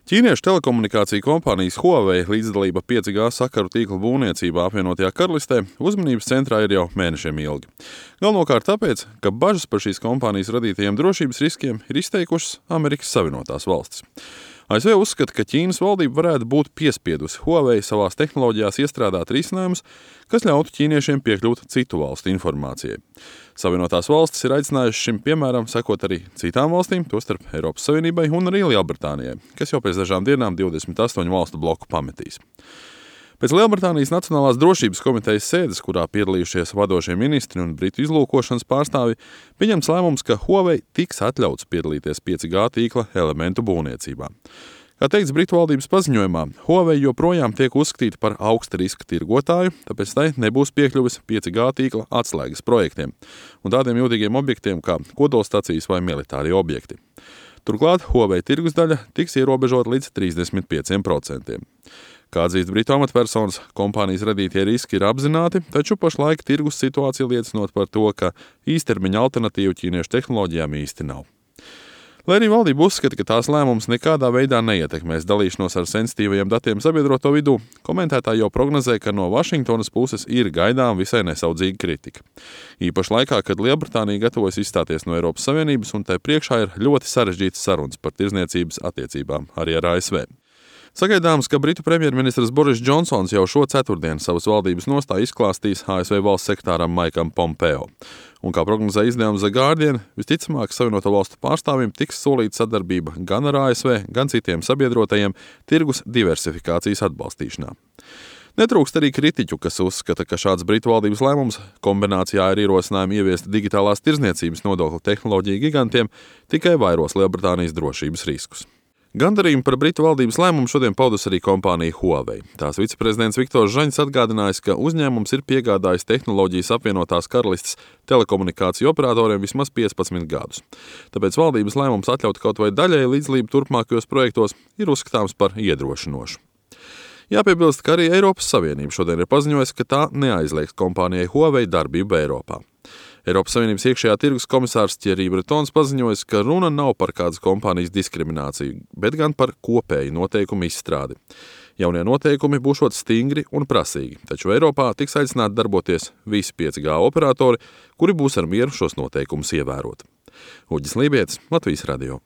Ķīniešu telekomunikāciju kompānijas Huawei līdzdalība 5G sakaru tīkla būvniecībā apvienotajā karalistē uzmanības centrā ir jau mēnešiem ilgi. Galvenokārt tāpēc, ka bažas par šīs kompānijas radītajiem drošības riskiem ir izteikušas Amerikas Savienotās valstis. ASV uzskata, ka Ķīnas valdība varētu būt piespiedusi Huawei savās tehnoloģijās iestrādāt risinājumus, kas ļautu ķīniešiem piekļūt citu valstu informācijai. Savienotās valstis ir aicinājušas šim piemēram sekot arī citām valstīm, tostarp Eiropas Savienībai un arī Lielbritānijai, kas jau pēc dažām dienām 28 valstu bloku pametīs. Pēc Lielbritānijas Nacionālās drošības komitejas sēdes, kurā piedalījušies vadošie ministri un britu izlūkošanas pārstāvi, pieņemts lēmums, ka Huawei tiks atļauts piedalīties 5G tīkla elementu būvniecībā. Kā teikts Britu valdības paziņojumā, Huawei joprojām tiek uzskatīta par augsta riska tirgotāju, tāpēc tai nebūs piekļuvis 5G tīkla atslēgas projektiem un tādiem jūtīgiem objektiem kā kodolstacijas vai militārie objekti. Turklāt Huawei tirgus daļa tiks ierobežota līdz 35%. Kā atzīst Britu amatpersonas, kompānijas radītie riski ir apzināti, taču pašlaik tirgus situācija liecinot par to, ka īstermiņa alternatīvu ķīniešu tehnoloģijām īsti nav. Lai arī valdība uzskata, ka tās lēmums nekādā veidā neietekmēs dalīšanos ar sensitīvajiem datiem sabiedroto vidū, komentētāji jau prognozē, ka no Vašingtonas puses ir gaidām visai nesaudzīga kritika. Īpaši laikā, kad Lielbritānija gatavojas izstāties no Eiropas Savienības un tai priekšā ir ļoti sarežģītas sarunas par tirdzniecības attiecībām arī ar ASV. Sagaidāms, ka Britu premjerministrs Boris Džonsons jau šo ceturtdienu savas valdības nostāju izklāstīs ASV valsts sekretāram Maikam Pompeo. Un kā prognozē izdevums The Guardian, visticamāk Savienoto valstu pārstāvjiem tiks solīta sadarbība gan ar ASV, gan citiem sabiedrotajiem tirgus diversifikācijas atbalstīšanā. Netrūkst arī kritiķu, kas uzskata, ka šāds Britu valdības lēmums kombinācijā ar ierosinājumu ieviest digitālās tirdzniecības nodokli tehnoloģiju gigantiem tikai vairos Lielbritānijas drošības riskus. Gandarījumu par Britu valdības lēmumu šodien paudus arī kompānija Huawei. Tās viceprezidents Viktors Žaņs atgādinājis, ka uzņēmums ir piegādājis tehnoloģijas apvienotās karalistes telekomunikāciju operatoriem vismaz 15 gadus. Tāpēc valdības lēmums atļaut kaut vai daļēju līdzdalību turpmākajos projektos ir uzskatāms par iedrošinošu. Jāpiebilst, ka arī Eiropas Savienība šodien ir paziņojusi, ka tā neaizliegs kompānijai Huawei darbību Eiropā. Eiropas Savienības iekšējā tirgus komisārs Thierry Bretons paziņojis, ka runa nav par kādas kompānijas diskrimināciju, bet gan par kopēju noteikumu izstrādi. Jaunie noteikumi būšot stingri un prasīgi, taču Eiropā tiks aicināti darboties visi 5G operatori, kuri būs ar mieru šos noteikumus ievērot. Uģis Lībietis, Latvijas radio.